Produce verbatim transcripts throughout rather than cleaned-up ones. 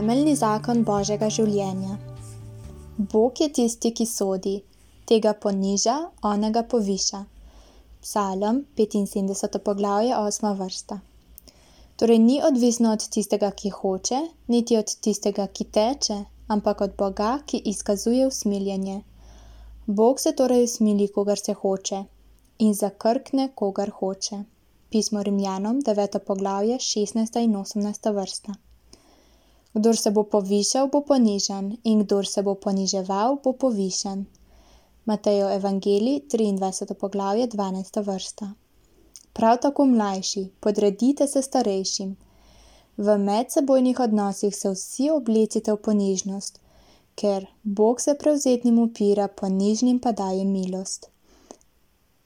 Temeljni zakon Božjega življenja. Bog je tisti, ki sodi, tega poniža, onega poviša. Psalm petinsedemdeseto poglavje, osma vrsta. Torej ni odvisno od tistega, ki hoče, niti od tistega, ki teče, ampak od Boga, ki izkazuje usmiljenje. Bog se torej usmili, kogar se hoče, in zakrkne, kogar hoče. Pismo Rimljanom, deveto poglavje, šestnajsta in osemnajsta vrsta. Kdor se bo povišal, bo ponižan, in kdor se bo poniževal, bo povišan. Matejev evangelij, triindvajseto poglavje, dvanajsta vrsta. Prav tako mlajši, podredite se starejšim. V medsebojnih odnosih se vsi oblecite v ponižnost, ker Bog se prevzetnim upira, ponižnim pa daje milost.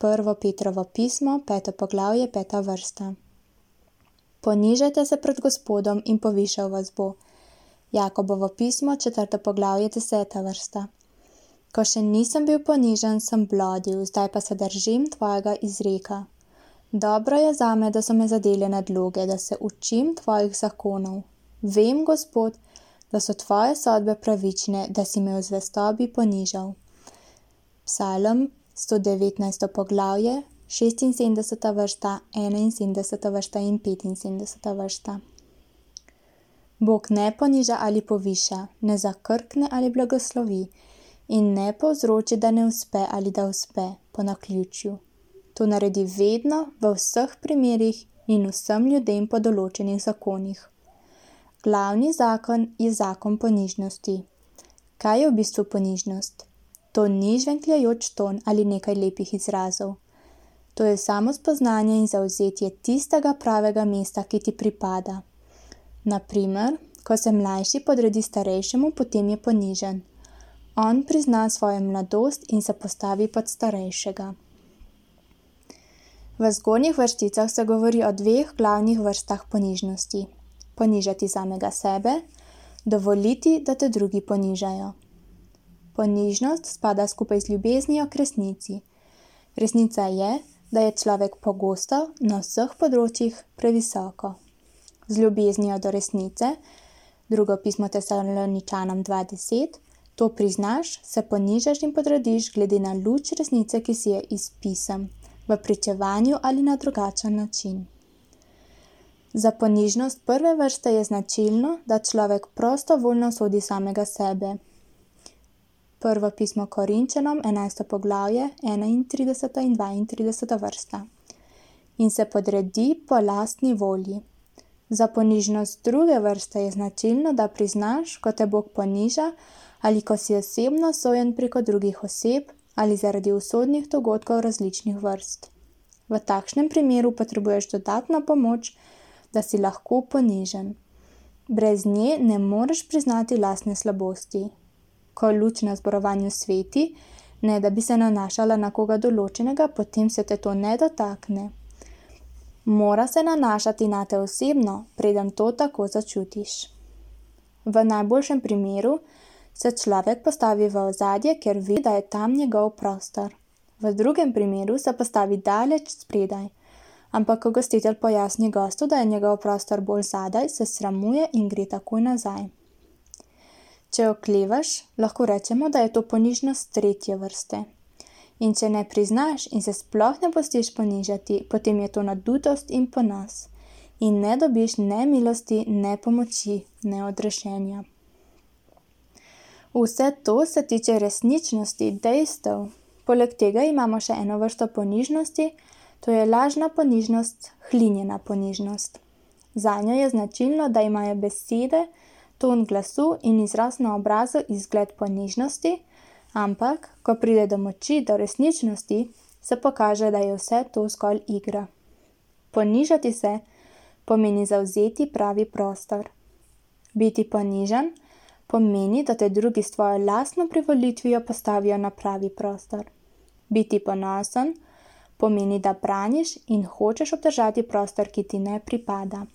Prvo Petrovo pismo, peto poglavje, peta vrsta. Ponižajte se pred Gospodom in povišal vas bo. Jakobovo pismo, četrto poglavje, deseta vrsta. Ko še nisem bil ponižan, sem blodil, zdaj pa se držim tvojega izreka. Dobro je zame, da so me zadele nadloge, da se učim tvojih zakonov. Vem, Gospod, da so tvoje sodbe pravične, da si me v zvestobi ponižal. Psalm sto devetnajsto poglavje, šestinsedemdeseta vrsta, enainsedemdeseta vrsta in petinsedemdeseta vrsta. Bog ne poniža ali poviša, ne zakrkne ali blagoslovi in ne povzroči, da ne uspe ali da uspe po naključju. To naredi vedno, v vseh primerih in vsem ljudem po določenih zakonih. Glavni zakon je zakon ponižnosti. Kaj je v bistvu ponižnost? To ni žvenkljajoč ton ali nekaj lepih izrazov. To je samo spoznanje in zavzetje tistega pravega mesta, ki ti pripada. Na primer, ko se mlajši podredi starejšemu, potem je ponižen. On prizna svojo mladost in se postavi pod starejšega. V zgornjih vrsticah se govori o dveh glavnih vrstah ponižnosti. Ponižati samega sebe, dovoliti, da te drugi ponižajo. Ponižnost spada skupaj z ljubeznijo k resnici. Resnica je, da je človek pogosto na vseh področjih previsoko. Z ljubeznijo do resnice, drugo pismo Tesaloničanom dva deset, to priznaš, se ponižaš in podrediš glede na luč resnice, ki si je iz pisem, v pričevanju ali na drugačen način. Za ponižnost prve vrste je značilno, da človek prostovoljno sodi samega sebe. Prvo pismo Korinčanom, enajsto poglavje, enaintrideseta in dvaintrideseta vrsta. In se podredi po lastni volji. Za ponižnost druge vrste je značilno, da priznaš, ko te Bog poniža ali ko si osebno sojen preko drugih oseb ali zaradi usodnih dogodkov različnih vrst. V takšnem primeru potrebuješ dodatno pomoč, da si lahko ponižen. Brez nje ne moreš priznati lastne slabosti. Ko luč na zborovanju sveti, ne da bi se nanašala na koga določenega, potem se te to ne dotakne. Mora se nanašati na te osebno, preden to tako začutiš. V najboljšem primeru se človek postavi v ozadje, ker ve, da je tam njegov prostor. V drugem primeru se postavi daleč spredaj, ampak ko gostitelj pojasni gostu, da je njegov prostor bolj zadaj, se sramuje in gre takoj nazaj. Če oklevaš, lahko rečemo, da je to ponižnost tretje vrste. In če ne priznaš in se sploh ne pustiš ponižati, potem je to nadutost in ponos. In ne dobiš ne milosti, ne pomoči, ne odrešenja. Vse to se tiče resničnosti, dejstev. Poleg tega imamo še eno vrsto ponižnosti, to je lažna ponižnost, hlinjena ponižnost. Zanjo je značilno, da imajo besede, ton glasu in izraz na obrazu izgled ponižnosti, ampak, ko pride do moči, do resničnosti, se pokaže, da je vse to zgolj igra. Ponižati se pomeni zavzeti pravi prostor. Biti ponižan pomeni, da te drugi s tvojo lastno privolitvijo postavijo na pravi prostor. Biti ponosen pomeni, da braniš in hočeš obdržati prostor, ki ti ne pripada.